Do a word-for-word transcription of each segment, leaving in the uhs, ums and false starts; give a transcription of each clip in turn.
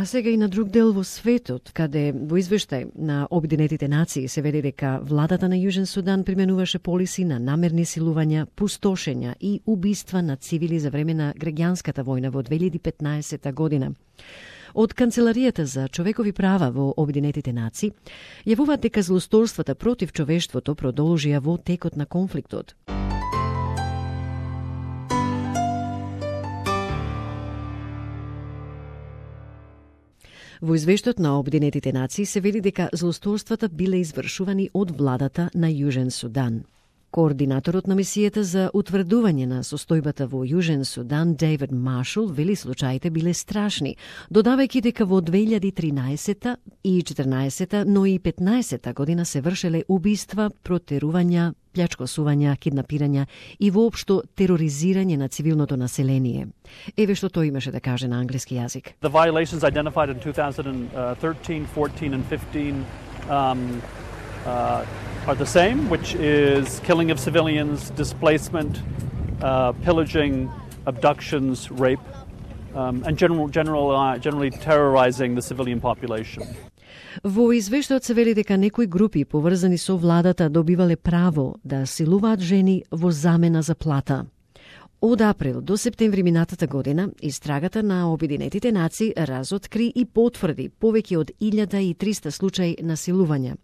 А сега и на друг дел во светот, каде во извештај на Обединетите нации се вели дека владата на Јужен Судан применуваше полиси на намерни силувања, пустошења и убиства на цивили за време на граѓанската војна во две илјади и петнаесета година. Од Канцеларијата за човекови права во Обединетите нации јавуваат дека злосторствата против човештвото продолжија во текот на конфликтот. Во извештајот на Обединетите нации се вели дека злосторствата биле извршувани од владата на Јужен Судан. Координаторот на мисијата за утврдување на состојбата во Јужен Судан, Дейвид Маршал, вели случаите биле страшни, додавајќи дека во две илјади и тринаесета и четрнаесета, но и петнаесета година се вршеле убиства, протерувања, плячкосувања, киднапирања и воопшто тероризирање на цивилното население. Еве што тој имаше да каже на англиски јазик. The violations identified in two thousand thirteen, fourteen and fifteen um, uh, are the same, which is killing of civilians, displacement, uh, pillaging, abductions, rape, um, and general, general, uh, generally terrorizing the civilian population. Во извештајот се вели дека некои групи поврзани со владата добивале право да силуваат жени во замена за плата. Од април до септември минатата година, истрагата на Обединетите нации разоткри и потврди повеќе од илјада и триста случаи на силувања.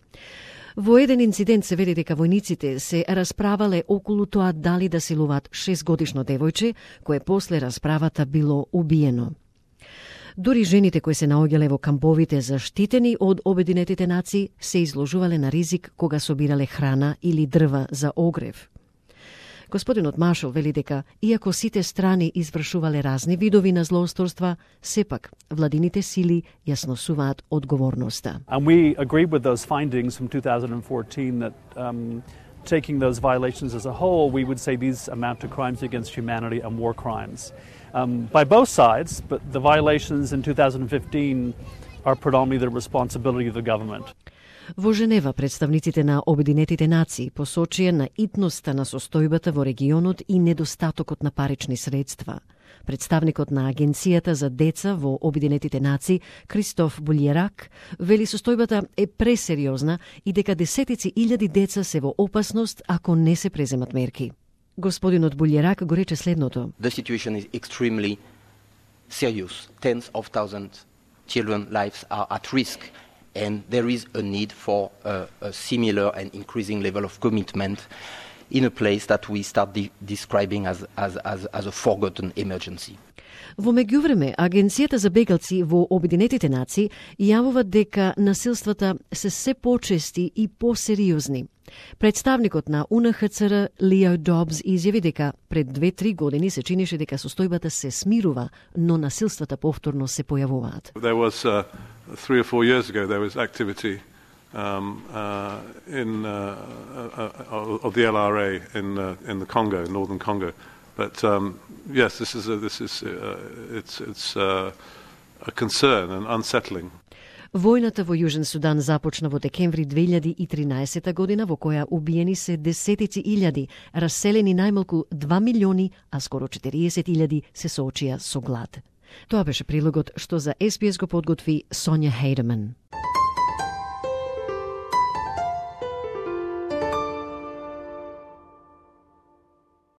Во еден инцидент се вели дека војниците се расправале околу тоа дали да силуваат шестгодишно девојче, кое после расправата било убиено. Дури жените кои се наоѓале во камповите заштитени од Обединетите нации се изложувале на ризик кога собирале храна или дрва за огрев. Господинот Маршал вели дека, иако сите страни извршувале разни видови на злоусторства, сепак владините сили ја сносуваат одговорноста. And we agreed with those findings from two thousand fourteen that um, taking those violations as a whole, we would say these amount to crimes against humanity and war crimes. Um, by both sides, but the violations in two thousand fifteen are predominantly the responsibility of the government. Во Женева представниците на Обединетите нации посочија на итноста на состојбата во регионот и недостатокот на парични средства. Представникот на Агенцијата за деца во Обединетите нации, Кристоф Булјерак, вели состојбата е пресериозна и дека десетици илјади деца се во опасност ако не се преземат мерки. Господинот Булјерак го рече следното. The situation is extremely serious. Tens of thousands children lives are at risk. And there is a need for a, a similar and increasing level of commitment in a place that we start de- describing as, as, as, as a forgotten emergency. Во меѓувреме, Агенцијата за бегалци во Обединетите нации јавува дека насилствата се се почести и посериозни. Представникот на У Н Х Ц Р Лео Добс изјави дека пред две-три години се чинеше дека состојбата се смирува, но насилствата повторно се појавуваат. There was uh, three or four years ago there was activity um, uh, in uh, uh, of the L R A in uh, in the Congo, northern Congo. But um, yes, this is a, this is uh, it's it's uh, a concern and unsettling. Војната во Јужен Судан започна во декември две илјади и тринаесета година, во која убиени се десетици илјади, раселени најмалку два милиони, а скоро четириесет илјади се соочија со глад. Тоа беше прилогот што за Ес Би Ес го подготви Сонја Хейдеман.